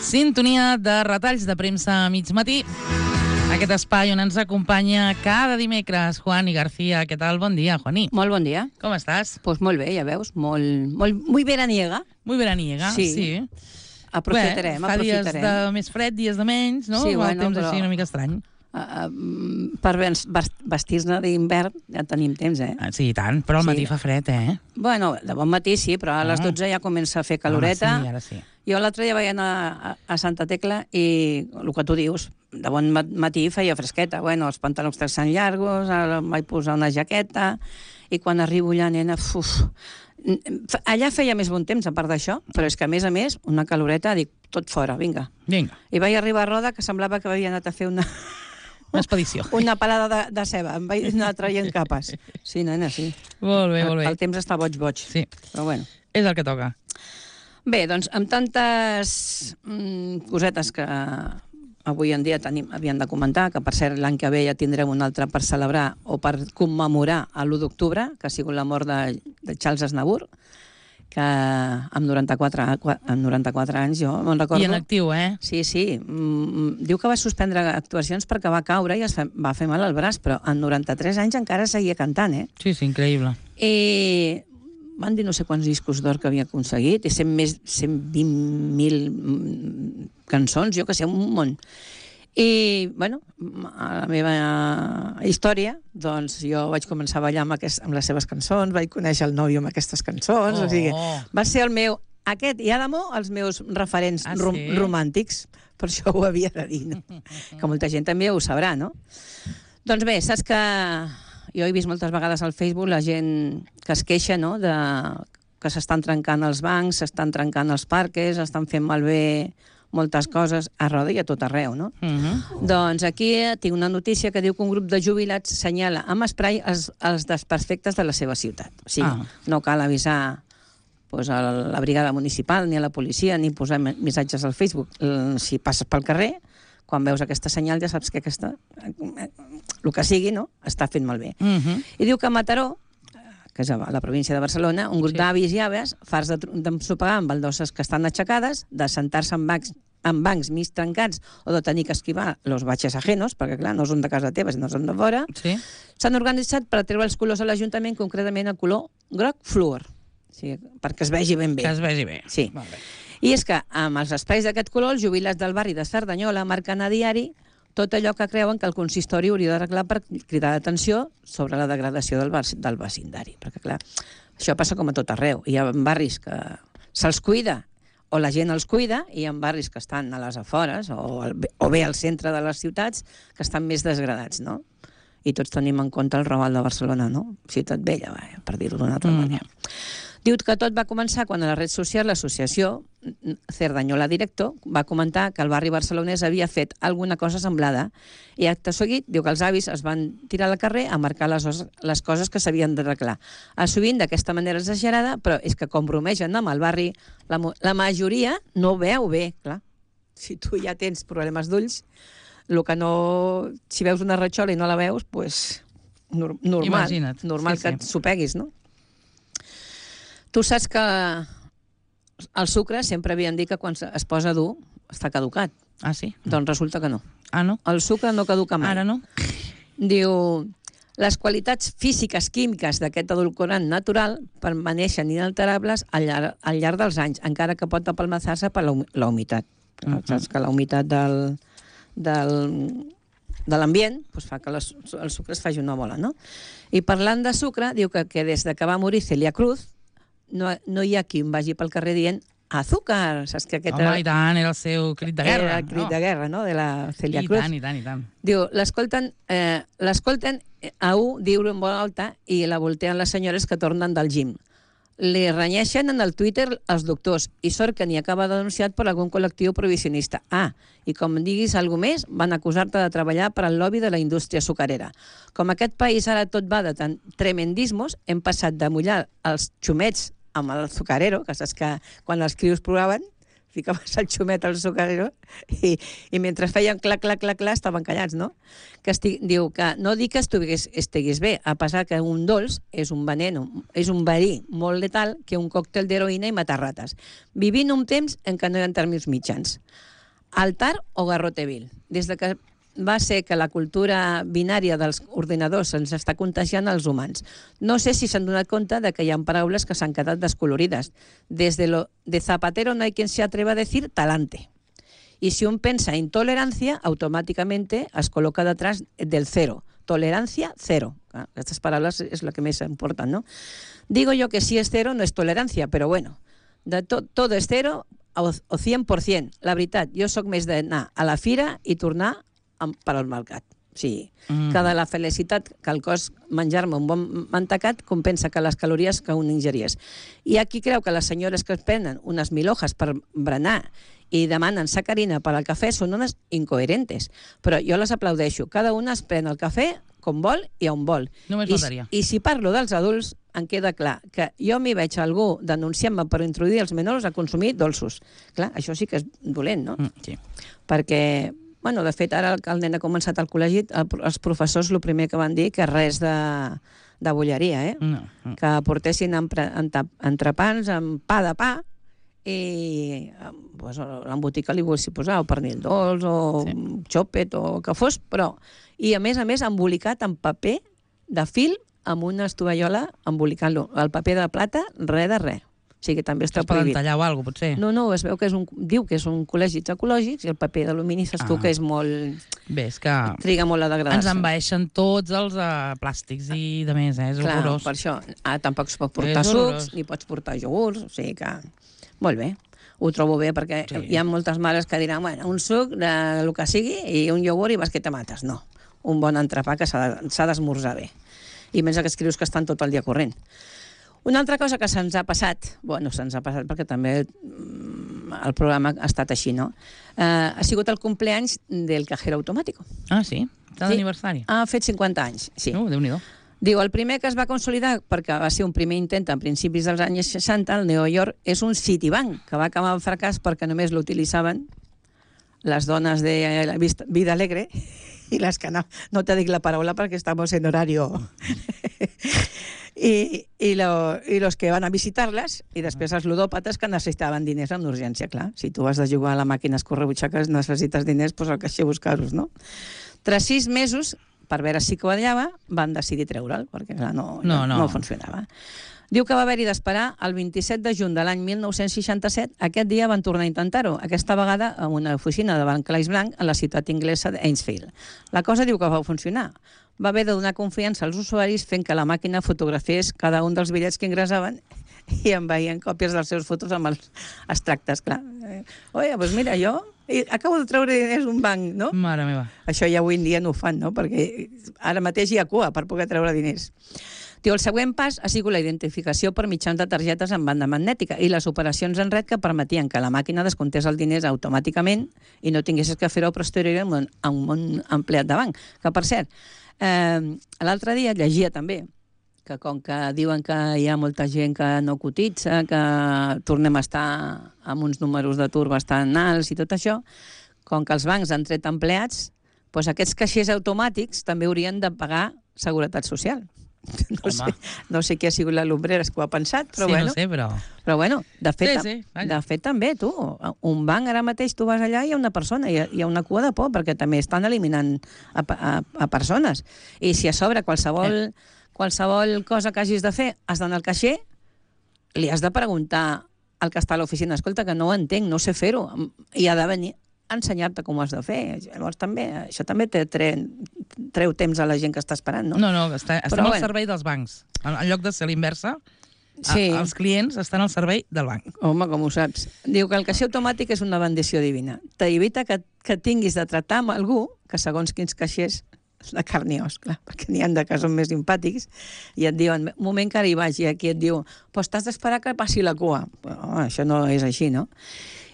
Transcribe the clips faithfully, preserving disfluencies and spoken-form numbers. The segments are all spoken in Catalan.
Sintonia de retalls de premsa a mig matí. Aquest espai on ens acompanya cada dimecres Juani García. Què tal? Bon dia, Juani. Molt bon dia. Com estàs? Pues molt bé, ja veus. Molt, molt, muy veraniega. Muy veraniega, sí. sí. Aprofitarem, Bé, fa aprofitarem. dies de més fred, dies de menys, no? Sí, El bueno, temps però... així una mica estrany. Uh, uh, per vestir-ne d'hivern ja tenim temps, eh? Ah, sí, i tant, però al Sí. matí fa fred, eh? Bueno, de bon matí sí, però a les dotze ja comença a fer caloreta. Ah, sí, ara sí. Jo l'altre dia vaig anar a, a Santa Tecla i el que tu dius, de bon matí feia fresqueta. Bueno, els pantalons texans llargos, ara em vaig posar una jaqueta i quan arribo allà, nena, uf, allà feia més bon temps, a part d'això, però és que, a més a més, una caloreta, dic, tot fora, vinga. Vinga. I vaig arribar a Roda, que semblava que havia anat a fer una... Una expedició. Una palada de, de ceba. Em vaig anar traient capes. Sí, nena, sí. Molt bé, molt bé. El, el temps està boig, boig. Sí. Però bueno. És el que toca. Bé, doncs, amb tantes mm, cosetes que avui en dia tenim, havíem de comentar, que per cert l'any que ve ja tindrem un altre per celebrar o per commemorar l'u d'octubre, que ha sigut la mort de, de Charles Aznavour, que amb noranta-quatre, amb noranta-quatre anys jo me'n recordo... I en actiu, eh? Sí, sí. Mm, diu que va suspendre actuacions perquè va caure i es va fer mal al braç, però amb noranta-tres anys encara seguia cantant, eh? Sí, sí, increïble. I van dir no sé quants discos d'or que havia aconseguit, i cent més, cent vint mil cançons, jo que sé, un munt. I, bueno, a la meva història, doncs jo vaig començar a ballar amb, aquest, amb les seves cançons, vaig conèixer el nòvio amb aquestes cançons, Oh. o sigui, va ser el meu, aquest i Adamo, els meus referents Ah, rom sí? romàntics, per això ho havia de dir, no? Que molta gent també ho sabrà, no? Doncs bé, saps que jo he vist moltes vegades al Facebook la gent que es queixa, no?, de que s'estan trencant els bancs, s'estan trencant els parques, estan fent malbé moltes coses a Roda i a tot arreu, no? Uh -huh. Doncs aquí tinc una notícia que diu que un grup de jubilats senyala amb esprai els, els desperfectes de la seva ciutat. O sigui, Ah. no cal avisar pues, a la brigada municipal ni a la policia ni posar missatges al Facebook. Si passes pel carrer, quan veus aquesta senyal ja saps que aquesta, el que sigui, no?, està fent malbé. Uh -huh. I diu que a Mataró, que és a la província de Barcelona, un grup Sí. d'avis i aves, farts d'ensopegar amb baldosses que estan aixecades, de sentar-se en bancs, en bancs mig trencats o de tenir que esquivar los baches ajenos, perquè, clar, no són de casa teva, sinó són de fora, Sí. s'han organitzat per treure els colors a l'Ajuntament, concretament el color groc fluor, o sigui, perquè es vegi ben bé. Que es vegi bé. Sí. Molt bé. I és que amb els espais d'aquest color, els jubilats del barri de Cerdanyola marquen a diari tot allò que creuen que el consistori hauria d'arreglar per cridar l'atenció sobre la degradació del, del vecindari. Perquè, clar, això passa com a tot arreu. Hi ha barris que se'ls cuida o la gent els cuida, i hi ha barris que estan a les afores o, al, o bé al centre de les ciutats que estan més desgradats, no? I tots tenim en compte el Raval de Barcelona, no? Ciutat vella, va, per dir-ho d'una altra mm. manera. Diu que tot va començar quan a la red social l'associació Cerdanyola Directo va comentar que el barri barcelonès havia fet alguna cosa semblada i acte seguit diu que els avis es van tirar al carrer a marcar les, les coses que s'havien d'arreglar. Sovint d'aquesta manera exagerada, però és que com bromegen amb el barri, la, la majoria no veu bé, clar. Si tu ja tens problemes d'ulls, el que no... Si veus una ratxola i no la veus, doncs pues, normal, Imagina't. normal Sí, que sí. et sopeguis, no? Tu saps que el sucre sempre havien dit que quan es posa dur està caducat. Ah, sí? Doncs resulta que no. Ah, no? El sucre no caduca mai. Ara no? Diu, les qualitats físiques químiques d'aquest edulcorant natural permaneixen inalterables al llarg, al llarg dels anys, encara que pot apalmaçar-se per la, la humitat. Uh -huh. Saps que la humitat del, del, de l'ambient pues, fa que les, el sucre es faci una bola, no? I parlant de sucre, diu que, que des de que va morir Celia Cruz no, no hi ha qui em vagi pel carrer dient azúcar, saps que aquest Home, era, i tant, era el seu crit de guerra. era el crit no? de guerra, no?, de la Celia I Cruz. tant, i tant, i tant. Diu, l'escolten eh, l'escolten a un dir-ho en veu alta i la volteen les senyores que tornen del gym. Li renyeixen en el Twitter els doctors i sort que n'hi acaba denunciat per algun col·lectiu prohibicionista. Ah, i com diguis alguna més, van acusar-te de treballar per al lobby de la indústria sucarera. Com aquest país ara tot va de tant tremendismos, hem passat de mullar els xumets amb el sucarero, que saps que quan els crios ploraven, ficaves el xumet al sucarero i, i mentre feien clac, clac, clac, clac, estaven callats, no? Que estic, diu que no dic que estigués, estigués bé, a pesar que un dolç és un veneno, és un verí molt letal que un còctel d'heroïna i matar rates. Vivint un temps en què no hi ha termes mitjans. altar o garrote vil. Des de que va ser que la cultura binària dels ordinadors ens està contagiant als humans. No sé si s'han donat compte de que hi ha paraules que s'han quedat descolorides. Des de, lo, de Zapatero no hay quien se atreva a decir talante. Y si un pensa intolerancia, automáticamente es coloca detrás del cero. Tolerancia, cero. Ah, estas palabras es lo que me importan, ¿no? Digo yo que si es cero no es tolerancia, pero bueno, de to, todo es cero o, o cent per cent. La veritat, jo sóc més d'anar a la fira i tornar per al mercat. O sigui, mm. que de la felicitat que el cos menjar-me un bon mantecat compensa que les calories que un ingeries. I aquí creu que les senyores que es prenen unes mil hojas per berenar i demanen sacarina per al cafè són unes incoherentes. Però jo les aplaudeixo. Cada una es pren el cafè com vol i on vol. Només faltaria. I, I si parlo dels adults, em queda clar que jo m'hi veig a algú denunciant-me per introduir els menors a consumir dolços. Clar, això sí que és dolent, no? Mm, sí. Perquè... Bueno, de fet, ara que el nen ha començat al col·legi, els professors el primer que van dir que res de, de bolleria, eh? No, no. Que portessin entrepans amb pa de pa i pues, l'embotit que li volguessin posar, o pernil dolç, o sí. xòpet, o que fos, però... I, a més a més, embolicat en paper de fil amb una estovallola embolicant-lo. El paper de plata, res de res. O sigui que també està es poden prohibit. tallar o alguna cosa, potser? No, no, es veu que és un, diu que és un col·legi ecològic i el paper d'alumini saps ah. tu que és molt... Bé, és que... Triga molt a degradar-se. Ens envaeixen tots els uh, plàstics i de més, eh? És Clar, horrorós. per això. Ah, tampoc es pot portar sucs, ni pots portar iogurts, o sigui que... Molt bé, ho trobo bé, perquè sí. hi ha moltes mares que diran, bueno, un suc de lo que sigui i un iogurt i vas que te mates. No, un bon entrepà que s'ha d'esmorzar bé. I menys que escrius que estan tot el dia corrent. Una altra cosa que se'ns ha passat, bueno, se'ns ha passat perquè també el programa ha estat així, no? Eh, ha sigut el cumpleaños del cajero automático. Ah, sí? Està d'aniversari? Sí, ha fet cinquanta anys, sí. Uh, Déu-n'hi-do. Diu, el primer que es va consolidar, perquè va ser un primer intent a principis dels anys seixanta, al New York, és un Citibank, que va acabar en fracàs perquè només l'utilitzaven les dones de la vida alegre i les que no, no te dic la paraula perquè estamos en horario... I, i, lo, i los que van a visitar-les i després els ludòpates que necessitaven diners amb urgència, clar. Si tu has de jugar a la màquina escorrebutxaques necessites diners, doncs al caixer buscar-los, no? Tras sis mesos, per veure si quadrava, van decidir treure'l, perquè clar, no, no, no. no funcionava. Diu que va haver-hi d'esperar el vint-i-set de juny de l'any mil nou-cents seixanta-set. Aquest dia van tornar a intentar-ho, aquesta vegada a una oficina de Barclays Bank a la ciutat inglesa d'Ainsfield. La cosa diu que va funcionar. Va haver de donar confiança als usuaris fent que la màquina fotografiés cada un dels bitllets que ingressaven i envaïen còpies dels seus fotos amb els extractes, clar. Oye, doncs mira, jo acabo de treure diners d'un banc, no? Mare meva. Això ja avui en dia no ho fan, no? Perquè ara mateix hi ha cua per poder treure diners. Diu, el següent pas ha sigut la identificació per mitjans de targetes en banda magnètica i les operacions en red que permetien que la màquina descomptés els diners automàticament i no tinguessis que fer-ho posterior amb un, amb un empleat de banc. Que, per cert, eh, l'altre dia llegia també que com que diuen que hi ha molta gent que no cotitza, que tornem a estar amb uns números d'atur bastant alts i tot això, com que els bancs han tret empleats, doncs aquests caixers automàtics també haurien de pagar seguretat social. No sé, no sé qui ha sigut la Lumbreras que ho ha pensat, però sí, bueno. No sé, però... Però bueno, de fet, sí, sí, de fet també, tu, un banc ara mateix tu vas allà i hi ha una persona, hi ha, hi ha una cua de por, perquè també estan eliminant a, a, a persones. I si a sobre qualsevol, eh. qualsevol cosa que hagis de fer, has d'anar al caixer, li has de preguntar al que està a l'oficina, escolta, que no ho entenc, no sé fer-ho, i ha de venir a ensenyar-te com ho has de fer. Llavors també, això també te tre, treu temps a la gent que està esperant, no? No, no, està, estem Però, al bueno. servei dels bancs. En, en lloc de ser l'inversa, sí. els clients estan al servei del banc. Home, com ho saps. Diu que el caixer automàtic és una bendició divina. T'evita que, que tinguis de tractar amb algú que segons quins caixers de carn i os, clar, perquè n'hi ha de que són més simpàtics i et diuen, un moment que ara hi vagi, aquí et diu, pues t'has d'esperar que passi la cua. Oh, això no és així, no?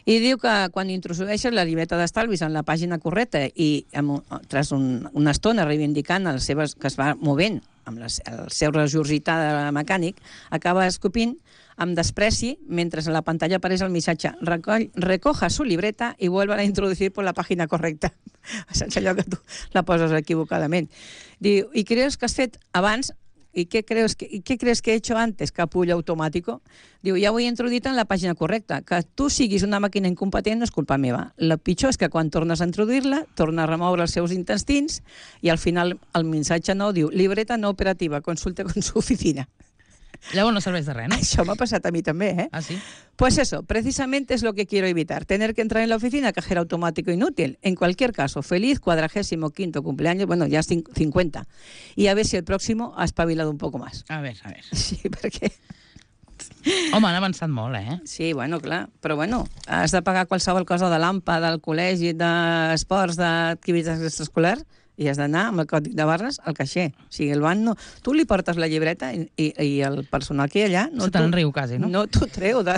I diu que quan introdueixes la llibreta d'estalvis en la pàgina correcta i tras un, una estona reivindicant les seves, que es va movent amb les, el seu regurgitar mecànic, acaba escopint amb despreci mentre a la pantalla apareix el missatge Recoll, recoja su libreta i vuelva a introducir per la pàgina correcta. Sense allò que tu la poses equivocadament. Diu, i creus que has fet abans ¿y qué crees que, ¿y qué crees que he hecho antes? Capullo automático. Diu, ja ho he introduït en la pàgina correcta. Que tu siguis una màquina incompetent no és culpa meva. El pitjor és que quan tornes a introduir-la, torna a remoure els seus intestins i al final el missatge nou diu libreta no operativa, consulte con su oficina. Llavors no serveix de res, ¿no? Això m'ha passat a mi també, ¿eh? Ah, sí. Pues eso, precisamente es lo que quiero evitar. Tener que entrar en la oficina, cajero automático inútil. En cualquier caso, feliz cuadragésimo quinto cumpleaños, bueno, ya cincuenta. Y a ver si el próximo ha espabilado un poco más. A ver, a ver. Sí, perquè... Home, han avançat molt, eh? Sí, bueno, clar. Però bueno, has de pagar qualsevol cosa de l'AMPA, del col·legi, d'esports, d'activitats extraescolars, i has d'anar amb el còdic de barres al caixer. O sigui, el banc no... Tu li portes la llibreta i, i, i el personal que hi ha allà... No, se te'n riu quasi, no? No t'ho treu. De,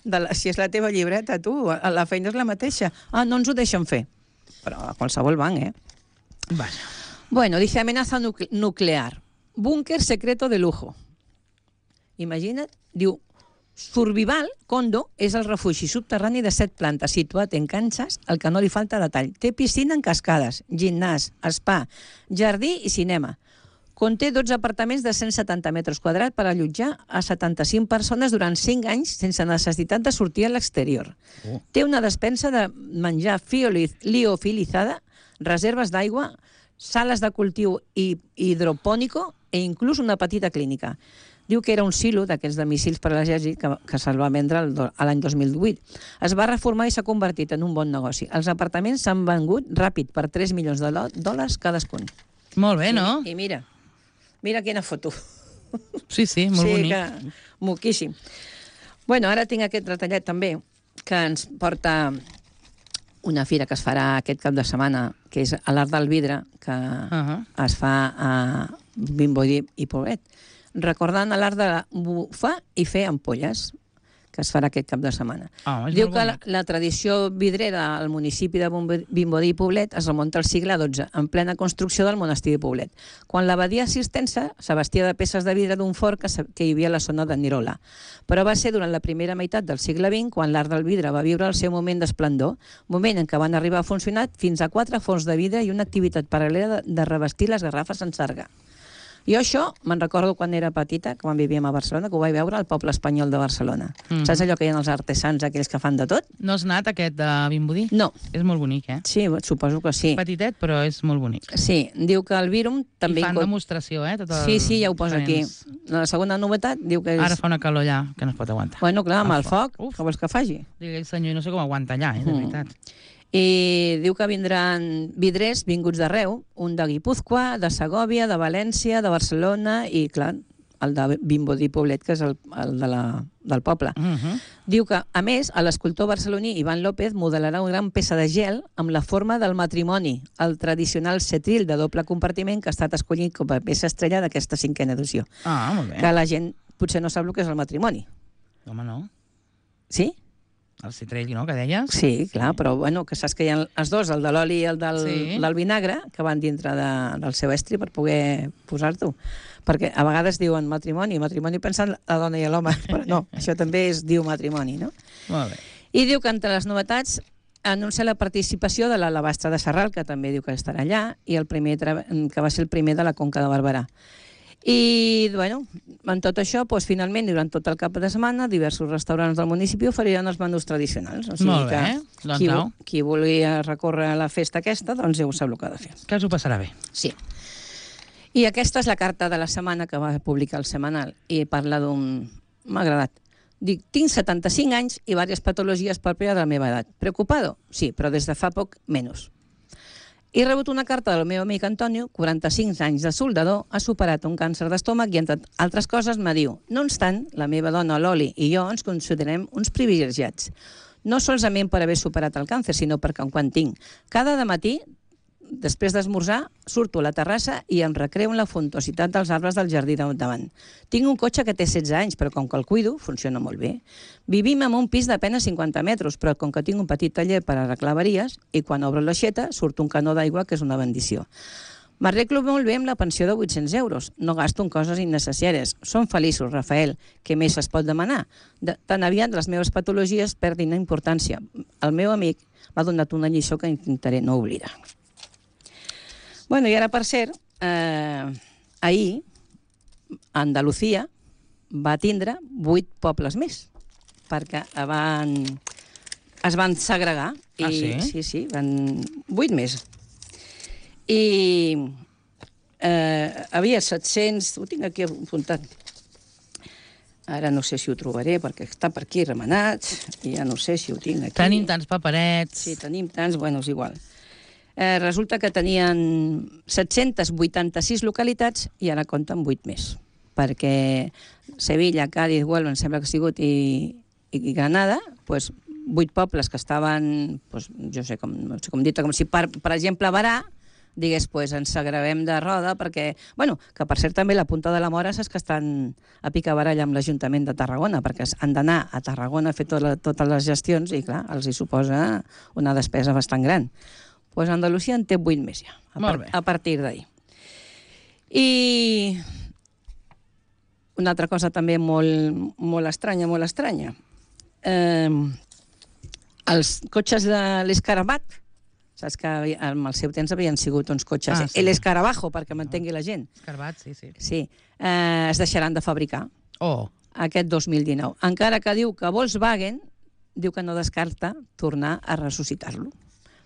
de la, si és la teva llibreta, tu, la feina és la mateixa. Ah, no ens ho deixen fer. Però a qualsevol banc, eh? Vaja. Bueno, dice amenaza nucle nuclear. Búnker secreto de lujo. Imagina't, diu... Survival Condo és el refugi subterrani de set plantes situat en Kansas, al que no li falta detall. Té piscina en cascades, gimnàs, spa, jardí i cinema. Conté dotze apartaments de cent setanta metres quadrats per allotjar a setanta-cinc persones durant cinc anys sense necessitat de sortir a l'exterior. Oh. Té una despensa de menjar liofilitzada, reserves d'aigua, sales de cultiu i hidropònico e inclús una petita clínica. Diu que era un silo d'aquests de míssils per a l'exèrcit que, que se'l va vendre l'any dos mil divuit. Es va reformar i s'ha convertit en un bon negoci. Els apartaments s'han vengut ràpid per tres milions de dòlars cadascun. Molt bé, no? I, i mira, mira quina foto. Sí, sí, molt sí, bonic. Que, moquíssim. Bueno, ara tinc aquest retallet també, que ens porta una fira que es farà aquest cap de setmana, que és a l'Art del Vidre, que uh -huh. es fa a Vimbodí i Poblet, recordant l'art de bufar i fer ampolles, que es farà aquest cap de setmana. Oh, Diu que la, la tradició vidrera al municipi de Vimbodí i Poblet es remunta al segle dotze, en plena construcció del monestir de Poblet, quan l'abadia cistercenca s'abastia de peces de vidre d'un fort que, que hi havia a la zona de Nirola. Però va ser durant la primera meitat del segle vint quan l'art del vidre va viure el seu moment d'esplendor, moment en què van arribar a funcionar fins a quatre forns de vidre i una activitat paral·lela de, de revestir les garrafes en sarga. Jo això me'n recordo quan era petita, quan vivíem a Barcelona, que ho vaig veure al poble espanyol de Barcelona. Mm -hmm. Saps allò que hi ha els artesans, aquells que fan de tot? No has anat aquest de Vimbodí? No. És molt bonic, eh? Sí, suposo que sí. Petitet, però és molt bonic. Sí, diu que el Virum també... I fan demostració, eh? Tot el... Sí, sí, ja ho posa aquí. La segona novetat diu que és... Ara fa una calor allà que no es pot aguantar. Bueno, clar, amb el, el foc, foc. Que vols que faci? Digue el senyor, no sé com aguanta allà, eh? De veritat. Mm. I diu que vindran vidrers vinguts d'arreu, un de Guipúzcoa, de Segòvia, de València, de Barcelona i, clar, el de Vimbodí Poblet, que és el, el de la, del poble. Uh -huh. Diu que, a més, l'escultor barceloní Ivan López modelarà una gran peça de gel amb la forma del matrimoni, el tradicional setril de doble compartiment que ha estat escollit com a peça estrella d'aquesta cinquena edició. Ah, molt bé. Que la gent potser no sap el que és el matrimoni. Home, no. Sí? El citrell, no?, que deies? Sí, clar, però bueno, que saps que hi ha els dos, el de l'oli i el del, sí. del vinagre, que van dintre de, del seu estri per poder posar-t'ho. Perquè a vegades diuen matrimoni, matrimoni pensant la dona i l'home, però no, això també es diu matrimoni, no? Molt bé. I diu que entre les novetats anuncia la participació de l'Alabastre de Sarral, que també diu que estarà allà, i el primer que va ser el primer de la Conca de Barberà. I, bueno, en tot això, doncs, finalment, durant tot el cap de setmana, diversos restaurants del municipi oferiran els menús tradicionals. O sigui Molt bé, que doncs qui, qui volia recórrer a la festa aquesta, doncs ja ho sap el que ha de fer. Que s'ho passarà bé. Sí. I aquesta és la carta de la setmana que va publicar el Setmanal i parla d'un... M'ha agradat. Dic, tinc setanta-cinc anys i diverses patologies pròpies de la meva edat. Preocupado? Sí, però des de fa poc menys. He rebut una carta del meu amic Antonio, quaranta-cinc anys de soldador, ha superat un càncer d'estómac i, entre altres coses, me diu: no obstant, la meva dona, l'Oli, i jo ens considerem uns privilegiats. No solament per haver superat el càncer, sinó perquè quan tinc. Cada matí, després d'esmorzar, surto a la terrassa i em recreo en la frontositat dels arbres del jardí davant. Tinc un cotxe que té setze anys, però com que el cuido, funciona molt bé. Vivim en un pis d'apenas cinquanta metres, però com que tinc un petit taller per arreglar avaries, i quan obro l'aixeta surt un canó d'aigua, que és una bendició. M'arreglo molt bé amb la pensió de vuit-cents euros. No gasto en coses innecessàries. Som feliços, Rafael. Què més es pot demanar? De, tan aviat les meves patologies perdin la importància. El meu amic m'ha donat una lliçó que intentaré no oblidar. Bueno, i ara, per cert, eh, ahir Andalusia va tindre vuit pobles més, perquè van, es van segregar. Ah, I, sí? Sí, sí, van vuit més. I eh, havia set-cents... Ho tinc aquí apuntat. Ara no sé si ho trobaré, perquè està per aquí remenat, i ja no sé si ho tinc aquí. Tenim tants paperets. Sí, tenim tants, bueno, és igual. Eh, resulta que tenien set-cents vuitanta-sis localitats i ara compten vuit més, perquè Sevilla, Cádiz, Huelva, em sembla que ha sigut, i, i Granada, doncs, vuit pobles que estaven, doncs, jo sé com, no sé com dir, com si, per, per exemple, Barà, digués, pues, ens agravem de roda, perquè, bueno, que per cert també la Punta de la Mora saps que estan a picabaralla amb l'Ajuntament de Tarragona, perquè han d'anar a Tarragona a fer tot la, totes les gestions i, clar, els hi suposa una despesa bastant gran. Doncs pues Andalusia en té vuit més ja, a, par a partir d'ahir. I una altra cosa també molt, molt estranya, molt estranya. Eh, els cotxes de l'Escarabat, saps que en el seu temps havien sigut uns cotxes... Ah, sí. L'Escarabajo, perquè m'entengui la gent. Escarabat, sí, sí. Sí. Eh, es deixaran de fabricar oh. aquest dos mil dinou. Encara que diu que Volkswagen diu que no descarta tornar a ressuscitar-lo.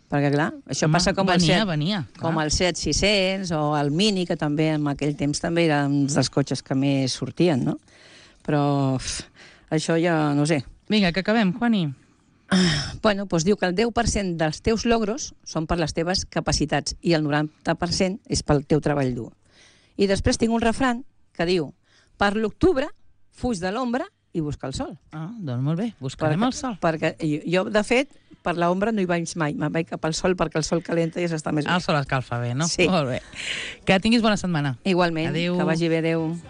Perquè, clar, això Home, passa com venia, el Seat, venia, com el Seat sis-cents o el Mini, que també en aquell temps també era un dels cotxes que més sortien, no? Però uf, això ja no sé. Vinga, que acabem, Juani. Bueno, doncs diu que el deu per cent dels teus logros són per les teves capacitats i el noranta per cent és pel teu treball dur. I després tinc un refran que diu: per l'octubre, fuig de l'ombra i busca el sol. Ah, doncs molt bé, buscarem perquè, el sol. Perquè jo, de fet, per l'ombra no hi vaig mai, me'n vaig cap al sol perquè el sol calenta i ja s'està més bé. El sol escalfa bé, no? Sí. Molt bé. Que tinguis bona setmana. Igualment, adéu. Que vagi bé, adéu.